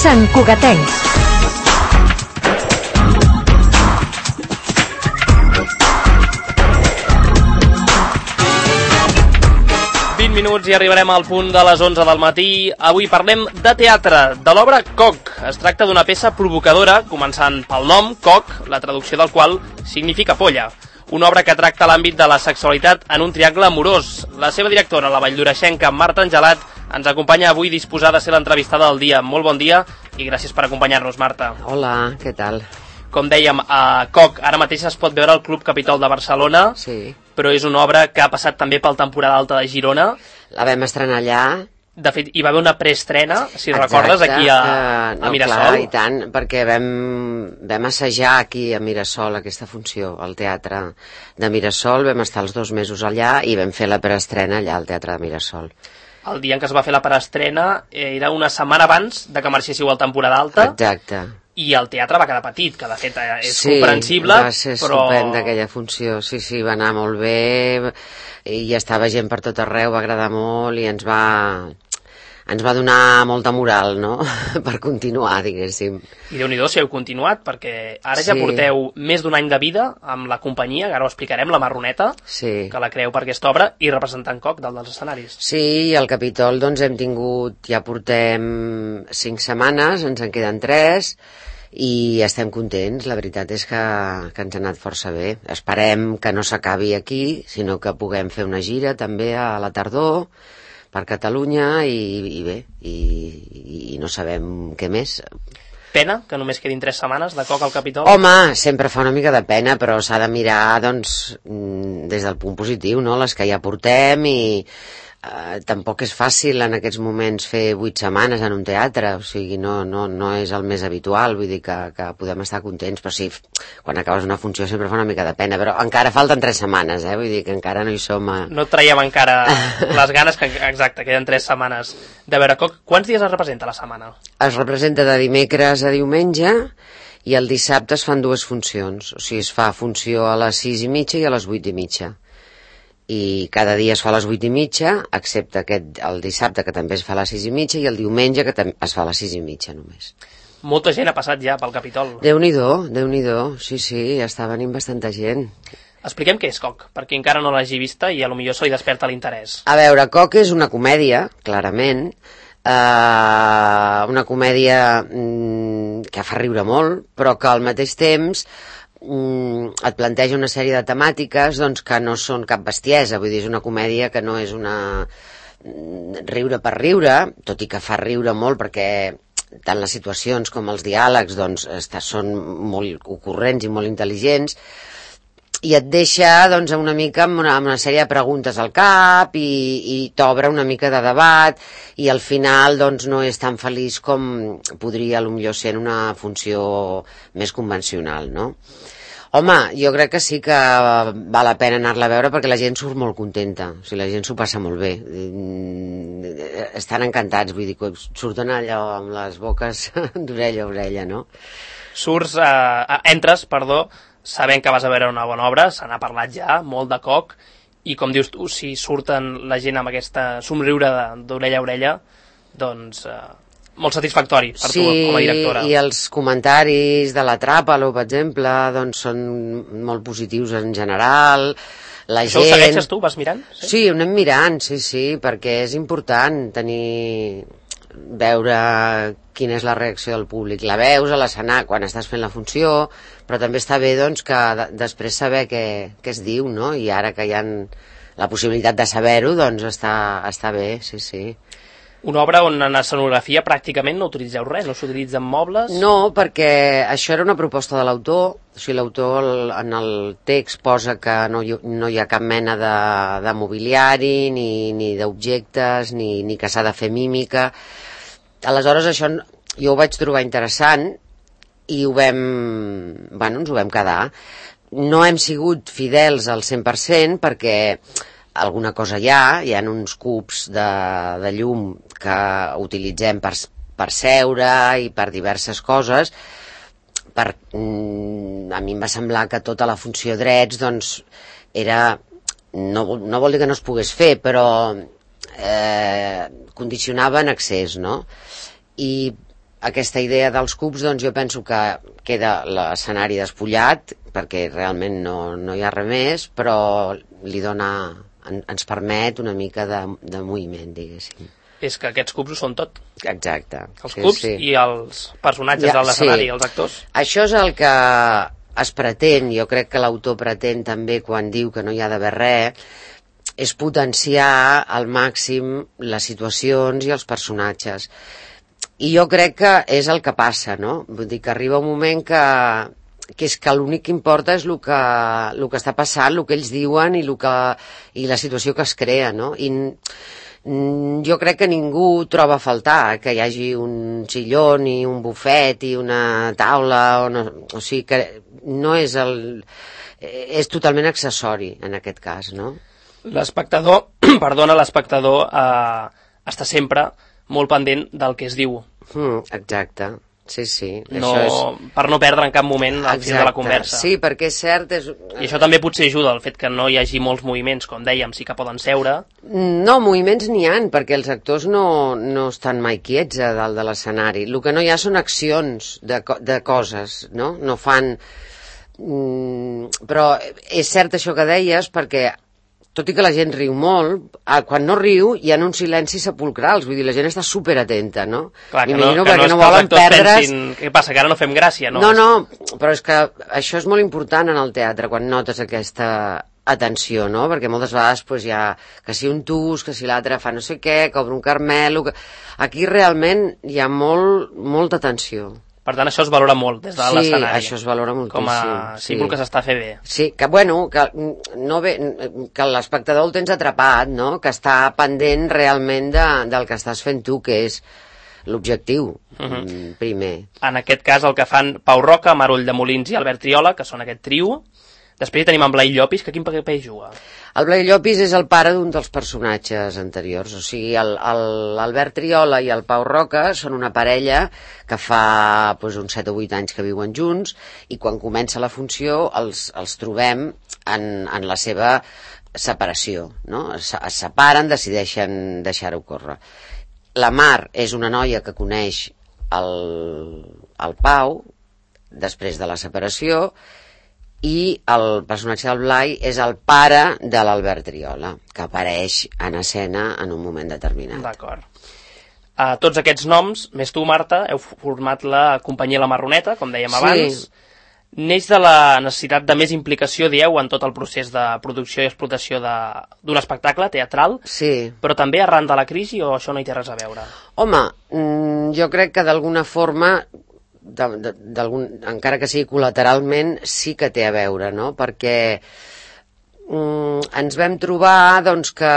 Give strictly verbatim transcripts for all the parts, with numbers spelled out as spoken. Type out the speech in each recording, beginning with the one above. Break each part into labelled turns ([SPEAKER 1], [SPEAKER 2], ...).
[SPEAKER 1] Sant Cugatencs.
[SPEAKER 2] vint minuts i arribarem al punt de les onze del matí. Avui parlem de teatre, de l'obra Coc. Es tracta d'una peça provocadora, començant pel nom, Coc, la traducció del qual significa polla. Una obra que tracta l'àmbit de la sexualitat en un triangle amorós. La seva directora, la valldoreixenca Marta Angelat, ens acompanya avui disposada a ser l'entrevistada del dia. Molt bon dia i gràcies per acompanyar-nos, Marta.
[SPEAKER 3] Hola, què tal?
[SPEAKER 2] Com dèiem, a Coc ara mateix es pot veure al Club Capitol de Barcelona,
[SPEAKER 3] sí.
[SPEAKER 2] Però és una obra que ha passat també pel temporada alta de Girona.
[SPEAKER 3] La vam estrenar allà.
[SPEAKER 2] De fet, hi va haver una preestrena, si
[SPEAKER 3] Exacte.
[SPEAKER 2] recordes, aquí a,
[SPEAKER 3] uh, no,
[SPEAKER 2] a Mirasol.
[SPEAKER 3] Clar, i tant, perquè vam, vam assajar aquí a Mirasol aquesta funció, al Teatre de Mirasol. Vam estar els dos mesos allà i vam fer la preestrena allà al Teatre de Mirasol.
[SPEAKER 2] El dia en què es va fer la preestrena era una setmana abans de que marxéssiu al temporada alta.
[SPEAKER 3] Exacte.
[SPEAKER 2] I el teatre va quedar petit, que de fet és
[SPEAKER 3] sí,
[SPEAKER 2] comprensible.
[SPEAKER 3] Sí, va ser
[SPEAKER 2] però...
[SPEAKER 3] estupenda aquella funció, sí, sí, va anar molt bé, i hi estava gent per tot arreu, va agradar molt i ens va, ens va donar molta moral, no?, per continuar, diguéssim.
[SPEAKER 2] I Déu-n'hi-do si heu continuat, perquè ara ja
[SPEAKER 3] sí.
[SPEAKER 2] porteu més d'un any de vida amb la companyia, que ara ho explicarem, la Marroneta,
[SPEAKER 3] sí.
[SPEAKER 2] que la creeu per aquesta obra, i representant Coc dalt dels escenaris.
[SPEAKER 3] Sí, i al Capitol doncs hem tingut, ja portem cinc setmanes, ens en queden tres, i estem contents, la veritat és que, que ens ha anat força bé. Esperem que no s'acabi aquí, sinó que puguem fer una gira també a la tardor per Catalunya i, i bé, i, i no sabem què més.
[SPEAKER 2] Pena que només quedin tres setmanes de Coc al Capitol?
[SPEAKER 3] Home, sempre fa una mica de pena, però s'ha de mirar doncs, des del punt positiu, no?, les que ja portem, i Uh, tampoc és fàcil en aquests moments fer vuit setmanes en un teatre, o sigui, no, no, no és el més habitual, vull dir que, que podem estar contents, però sí, quan acabes una funció sempre fa una mica de pena, però encara falten tres setmanes, eh? Vull dir que encara no hi som a...
[SPEAKER 2] No traiem encara les ganes, que exacte, queden tres setmanes. De veure, Coc, quants dies es representa la setmana?
[SPEAKER 3] Es representa de dimecres a diumenge, i el dissabte es fan dues funcions, o sigui, es fa funció a les sis i mitja i a les vuit i mitja. I cada dia es fa a les vuit i mitja, excepte aquest, el dissabte, que també es fa a les sis i mitja, i el diumenge, que es fa a les sis i mitja només.
[SPEAKER 2] Molta gent ha passat ja pel Capitol.
[SPEAKER 3] Déu-n'hi-do, Déu-n'hi-do, sí, sí, està venint bastanta gent.
[SPEAKER 2] Expliquem què és Coc, perquè encara no l'hagi vista i potser se li desperta l'interès.
[SPEAKER 3] A veure, Coc és una comèdia, clarament, uh, una comèdia mm, que fa riure molt, però que al mateix temps et planteja una sèrie de temàtiques doncs, que no són cap bestiesa, vull dir, és una comèdia que no és una riure per riure, tot i que fa riure molt perquè tant les situacions com els diàlegs doncs, són molt ocurrents i molt intel·ligents, i et deixa doncs, una mica amb una, amb una sèrie de preguntes al cap i, i t'obre una mica de debat, i al final doncs, no és tan feliç com podria potser ser en una funció més convencional, no? Home, jo crec que sí que val la pena anar-la a veure perquè la gent surt molt contenta, o sigui, la gent s'ho passa molt bé, estan encantats, vull dir, surten allò amb les boques d'orella a orella, no?
[SPEAKER 2] Surts, eh, entres, perdó, sabent que vas a veure una bona obra, se n'ha parlat ja, molt de Coc, i com dius tu, si surten la gent amb aquesta somriure d'orella a orella, doncs eh, molt satisfactori per
[SPEAKER 3] sí,
[SPEAKER 2] tu com a directora.
[SPEAKER 3] Sí, i els comentaris de la Tràpalo, per exemple, doncs són molt positius en general. La
[SPEAKER 2] Això
[SPEAKER 3] gent...
[SPEAKER 2] ho segueixes tu? Vas mirant?
[SPEAKER 3] Sí, sí, ho anem mirant, sí, sí, perquè és important tenir... veure quina és la reacció del públic. La veus a l'escenari quan estàs fent la funció, però també està bé doncs, que de després saber què, què es diu, no? I ara que hi ha la possibilitat de saber-ho, doncs està, està bé, sí, sí.
[SPEAKER 2] Una obra on en escenografia pràcticament no utilitzeu res, no s'utilitzen mobles?
[SPEAKER 3] No, perquè això era una proposta de l'autor, o sigui, l'autor en el text posa que no hi, no hi ha cap mena de, de mobiliari, ni, ni d'objectes, ni, ni que s'ha de fer mímica. Aleshores això jo ho vaig trobar interessant i ho vam, bueno, ens ho vam quedar. No hem sigut fidels al cent per cent perquè alguna cosa hi ha, hi ha uns cubs de, de llum que utilitzem per, per seure i per diverses coses. Per, mm, a mi em va semblar que tota la funció drets doncs, era, no, no vol dir que no es pogués fer, però eh, condicionava en excés, no? I aquesta idea dels cubs, doncs jo penso que queda l'escenari despullat, perquè realment no, no hi ha res més, però li dona, en, ens permet una mica de, de moviment, diguéssim.
[SPEAKER 2] És que aquests cubs ho són tot.
[SPEAKER 3] Exacte.
[SPEAKER 2] Els
[SPEAKER 3] sí,
[SPEAKER 2] cubs
[SPEAKER 3] sí.
[SPEAKER 2] i els personatges ja, de l'escenari, sí. Els actors.
[SPEAKER 3] Això és el que es pretén, jo crec que l'autor pretén també quan diu que no hi ha d'haver res, és potenciar al màxim les situacions i els personatges. I jo crec que és el que passa, no? Vull dir que arriba un moment que, que és que l'únic que importa és el que, el que està passant, el que ells diuen i, el que, i la situació que es crea, no? I jo crec que ningú troba a faltar que hi hagi un sillón i un bufet i una taula, o, no, o sigui que no és el... és totalment accessori en aquest cas, no?
[SPEAKER 2] L'espectador, perdona, l'espectador eh, està sempre molt pendent del que es diu.
[SPEAKER 3] Mm, exacte, sí, sí.
[SPEAKER 2] No,
[SPEAKER 3] això és...
[SPEAKER 2] Per no perdre en cap moment el fil de la conversa.
[SPEAKER 3] Sí, perquè és cert... És...
[SPEAKER 2] I això també potser ajuda, el fet que no hi hagi molts moviments, com dèiem, sí que poden seure.
[SPEAKER 3] No, moviments n'hi ha, perquè els actors no, no estan mai quiets a dalt de l'escenari. El que no hi ha són accions de, de coses, no? No fan... Mm, però és cert això que deies, perquè tot i que la gent riu molt, quan no riu hi ha uns silencis sepulcrals, vull dir, la gent està superatenta, no?
[SPEAKER 2] Clar, que no, que no, no volen perdre's... Pensin, què passa, que ara no fem gràcia, no?
[SPEAKER 3] No, no, però és que això és molt important en el teatre, quan notes aquesta atenció, no? Perquè moltes vegades pues, hi ha que si un tus, que si l'altre fa no sé què, que obre un carmel... Que... Aquí realment hi ha molt, molta atenció.
[SPEAKER 2] Per tant, això es valora molt des de
[SPEAKER 3] sí,
[SPEAKER 2] l'escenari.
[SPEAKER 3] Sí, això es valora moltíssim.
[SPEAKER 2] Com a símbol sí. Que s'està fent bé.
[SPEAKER 3] Sí, que bueno, que, no ve, que l'espectador el tens atrapat, no? Que està pendent realment de, del que estàs fent tu, que és l'objectiu, uh-huh. primer.
[SPEAKER 2] En aquest cas el que fan Pau Roca, Marull de Molins i Albert Triola, que són aquest trio. Després tenim en Blai Llopis, que quin paper juga?
[SPEAKER 3] El Blai Llopis és el pare d'un dels personatges anteriors, o sigui, l'Albert Triola i el Pau Roca són una parella que fa pues, uns set o vuit anys que viuen junts i quan comença la funció els, els trobem en, en la seva separació, no? Es, es separen, decideixen deixar-ho córrer. La Mar és una noia que coneix el, el Pau després de la separació i el personatge del Blai és el pare de l'Albert Triola, que apareix en escena en un moment determinat.
[SPEAKER 2] D'acord. Uh, tots aquests noms, més tu, Marta, heu format la companyia La Marroneta, com dèiem
[SPEAKER 3] sí.
[SPEAKER 2] abans. Neix de la necessitat de més implicació, dieu, en tot el procés de producció i explotació d'un espectacle teatral,
[SPEAKER 3] sí.
[SPEAKER 2] Però també arran de la crisi o això no hi té res a veure?
[SPEAKER 3] Home, jo crec que d'alguna forma... De, de, encara que sigui col·lateralment, sí que té a veure, no? Perquè mm, ens vam trobar doncs, que,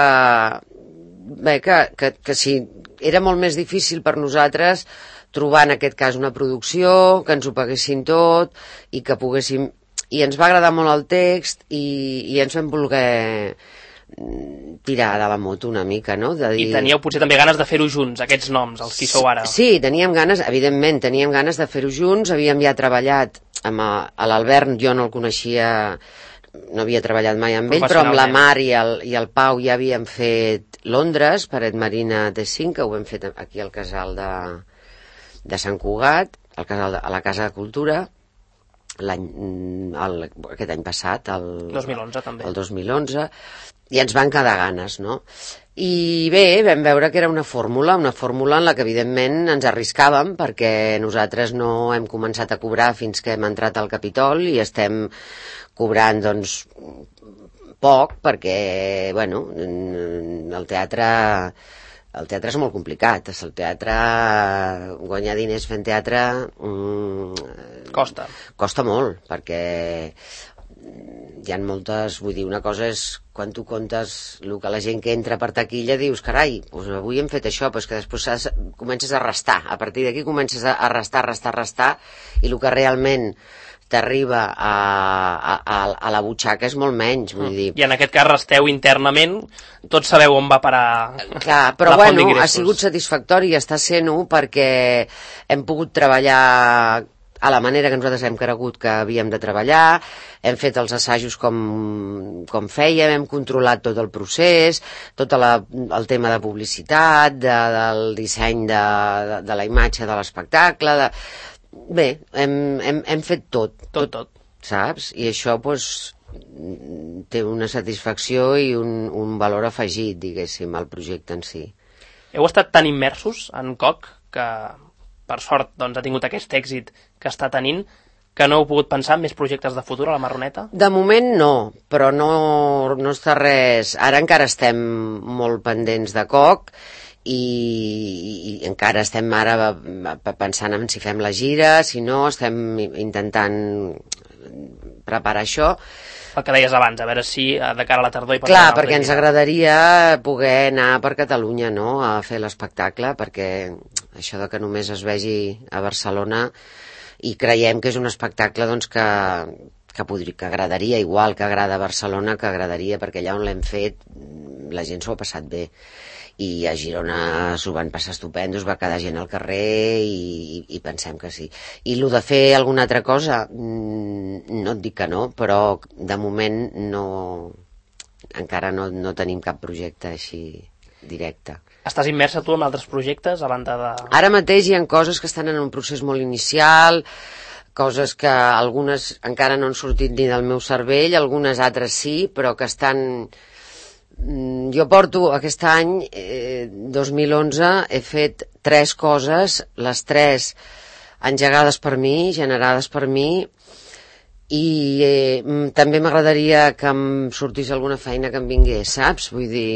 [SPEAKER 3] bé, que, que, que si era molt més difícil per nosaltres trobar en aquest cas una producció, que ens ho paguessin tot i que poguéssim... I ens va agradar molt el text i, i ens vam voler tirar de la moto una mica, no? De dir...
[SPEAKER 2] I teníeu potser també ganes de fer-ho junts, aquests noms, els qui sou ara.
[SPEAKER 3] Sí, teníem ganes, evidentment, teníem ganes de fer-ho junts, havíem ja treballat amb l'Albert, jo no el coneixia, no havia treballat mai amb ell, però amb la Mar i el, i el Pau ja havíem fet Londres, Paret Marina de cinc, que ho hem fet aquí al casal de, de Sant Cugat, al casal de, a la Casa de Cultura, l'any, el, aquest any passat, el
[SPEAKER 2] dos mil onze també.
[SPEAKER 3] El dos mil onze, i ens van quedar ganes, no? I bé, vam veure que era una fórmula, una fórmula en la que evidentment ens arriscàvem perquè nosaltres no hem començat a cobrar fins que hem entrat al Capitol i estem cobrant, doncs, poc perquè, bueno, el teatre... El teatre és molt complicat, el teatre, guanyar diners fent teatre... Mm,
[SPEAKER 2] costa.
[SPEAKER 3] Costa molt, perquè hi ha moltes... Vull dir, una cosa és quan tu comptes el que la gent que entra per taquilla dius, carai, doncs avui hem fet això, però és que després has, comences a restar. A partir d'aquí comences a restar, restar, restar, i el que realment t'arriba a, a, a la butxaca és molt menys, vull dir.
[SPEAKER 2] I en aquest cas resteu internament, tots sabeu on va parar.
[SPEAKER 3] Clar, però bueno, ha sigut satisfactori i està sent-ho perquè hem pogut treballar a la manera que nosaltres hem cregut que havíem de treballar, hem fet els assajos com, com fèiem, hem controlat tot el procés, tot la, el tema de publicitat, de, del disseny de, de, de la imatge de l'espectacle, de... bé, hem, hem, hem fet tot.
[SPEAKER 2] Tot, tot.
[SPEAKER 3] Saps? I això, doncs, té una satisfacció i un, un valor afegit, diguéssim, al projecte en si.
[SPEAKER 2] Heu estat tan immersos en Coc que, per sort, doncs, ha tingut aquest èxit que està tenint, que no heu pogut pensar en més projectes de futur a la Marroneta?
[SPEAKER 3] De moment no, però no, no està res... Ara encara estem molt pendents de Coc i, i encara estem ara pensant en si fem la gira, si no, estem intentant preparar això.
[SPEAKER 2] El que deies abans, a veure si de cara a la tardor...
[SPEAKER 3] Clar, perquè ens agradaria poder anar per Catalunya, no?, a fer l'espectacle, perquè això de que només es vegi a Barcelona, i creiem que és un espectacle doncs, que, que, podria, que agradaria, igual que agrada a Barcelona, que agradaria, perquè allà on l'hem fet la gent s'ho ha passat bé. I a Girona s'ho van passar estupend, va quedar gent al carrer i, i pensem que sí. I el de fer alguna altra cosa, no et dic que no, però de moment no, encara no, no tenim cap projecte així directe.
[SPEAKER 2] Estàs immersa tu en altres projectes a banda de...
[SPEAKER 3] Ara mateix hi ha coses que estan en un procés molt inicial, coses que algunes encara no han sortit ni del meu cervell, algunes altres sí, però que estan... Jo porto aquest any, eh, dos mil onze, he fet tres coses, les tres engegades per mi, generades per mi, i eh, també m'agradaria que em sortís alguna feina que em vingués, saps? Vull dir...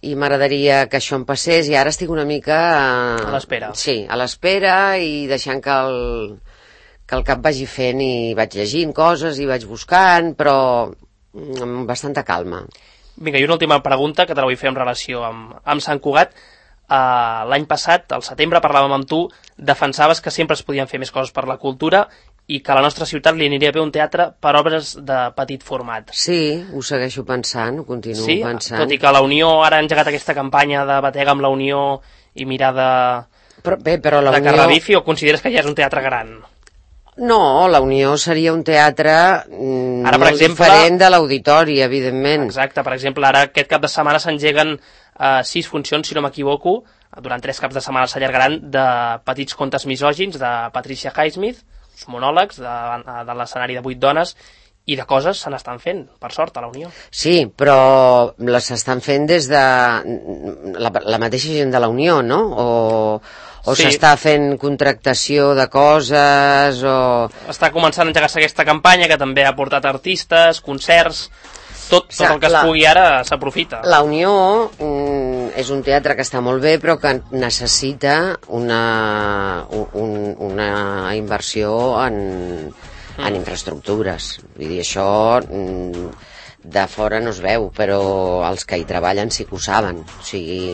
[SPEAKER 3] I m'agradaria que això em passés, i ara estic una mica...
[SPEAKER 2] A l'espera.
[SPEAKER 3] Sí, a l'espera, i deixant que el, que el cap vagi fent, i vaig llegint coses, i vaig buscant, però amb bastanta calma.
[SPEAKER 2] Vinga, i una última pregunta que te la vull fer en relació amb, amb Sant Cugat. Uh, L'any passat, al setembre, parlàvem amb tu, defensaves que sempre es podien fer més coses per la cultura i que a la nostra ciutat li aniria bé un teatre per obres de petit format.
[SPEAKER 3] Sí, ho segueixo pensant, ho continuo
[SPEAKER 2] sí?
[SPEAKER 3] pensant.
[SPEAKER 2] Tot i que la Unió ara ha engegat aquesta campanya de batega amb la Unió i mirar de,
[SPEAKER 3] però, bé, però la
[SPEAKER 2] de
[SPEAKER 3] Unió...
[SPEAKER 2] que revifi, o consideres que ja és un teatre gran?
[SPEAKER 3] No, la Unió seria un teatre mm,
[SPEAKER 2] ara, per
[SPEAKER 3] molt
[SPEAKER 2] exemple,
[SPEAKER 3] diferent de l'auditori, evidentment.
[SPEAKER 2] Exacte, per exemple, ara aquest cap de setmana s'engeguen uh, sis funcions, si no m'equivoco, durant tres caps de setmana s'allargaran, de petits contes misògins de Patricia Highsmith, uns monòlegs de, de l'escenari de vuit dones, i de coses se n'estan fent, per sort, a la Unió.
[SPEAKER 3] Sí, però les estan fent des de la, la mateixa gent de la Unió, no? O, o sí. S'està fent contractació de coses, o...
[SPEAKER 2] Està començant a engegar-se aquesta campanya, que també ha portat artistes, concerts... Tot, tot el que es pugui ara s'aprofita. La
[SPEAKER 3] Unió mm, és un teatre que està molt bé, però que necessita una, un, una inversió en, mm. en infraestructures. Vull dir, això mm, de fora no es veu, però els que hi treballen sí que ho saben. O sigui,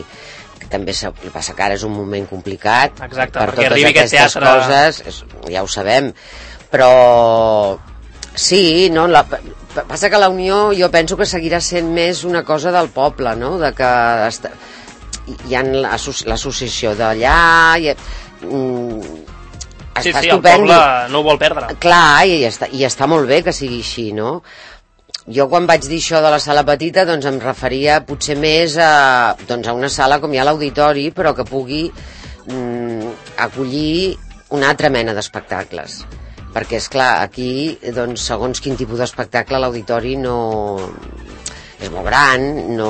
[SPEAKER 3] que també el que passa que ara és un moment complicat.
[SPEAKER 2] Exacte,
[SPEAKER 3] per
[SPEAKER 2] perquè
[SPEAKER 3] totes
[SPEAKER 2] arribi aquest
[SPEAKER 3] aquestes
[SPEAKER 2] teatre...
[SPEAKER 3] coses, és, ja ho sabem, però sí, no, la, passa que la Unió jo penso que seguirà sent més una cosa del poble, no? De que està, hi ha l'associació d'allà, i, mm, està
[SPEAKER 2] sí, sí,
[SPEAKER 3] estupend,
[SPEAKER 2] el poble no ho vol perdre.
[SPEAKER 3] Clar, i està, i està molt bé que sigui així, no? Jo quan vaig dir això de la sala petita, doncs em referia potser més a, doncs a una sala com hi ha l'auditori, però que pugui mm, acollir una altra mena d'espectacles. Perquè, és clar, aquí, doncs, segons quin tipus d'espectacle, l'auditori no... és molt gran, no...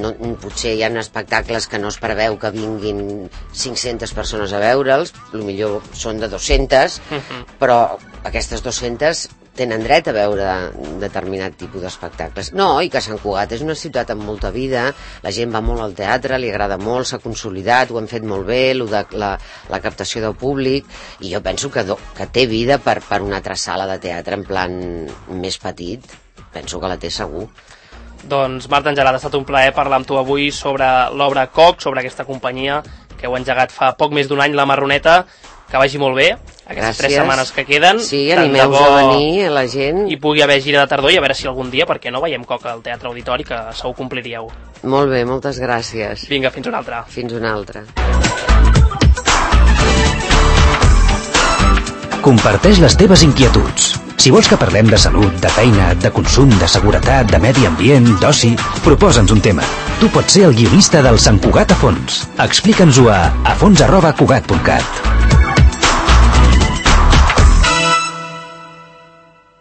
[SPEAKER 3] no... potser hi ha espectacles que no es preveu que vinguin cinc-centes persones a veure'ls, potser són de dues-centes, uh-huh. però aquestes dues-centes tenen dret a veure determinat tipus d'espectacles. No, i que Sant Cugat és una ciutat amb molta vida, la gent va molt al teatre, li agrada molt, s'ha consolidat, ho han fet molt bé, lo de la, la captació del públic, i jo penso que, do, que té vida per, per una altra sala de teatre en plan més petit, penso que la té segur.
[SPEAKER 2] Doncs Marta Angelada, ha estat un plaer parlar amb tu avui sobre l'obra Coc, sobre aquesta companyia que heu engegat fa poc més d'un any, la Marroneta. Que vagi molt bé, aquestes
[SPEAKER 3] Gràcies.
[SPEAKER 2] Tres setmanes que queden.
[SPEAKER 3] Sí, animeu-vos a venir, a la gent.
[SPEAKER 2] I pugui haver gira de tardor, i a veure si algun dia, perquè no veiem Coc al Teatre Auditori, que segur compliríeu.
[SPEAKER 3] Molt bé, moltes gràcies.
[SPEAKER 2] Vinga, fins una altra.
[SPEAKER 3] Fins una altra.
[SPEAKER 1] Comparteix les teves inquietuds. Si vols que parlem de salut, de feina, de consum, de seguretat, de medi ambient, d'oci, proposa'ns un tema. Tu pots ser el guionista del Sant Cugat a fons. Explica'ns-ho a afons arroba cugat punt cat.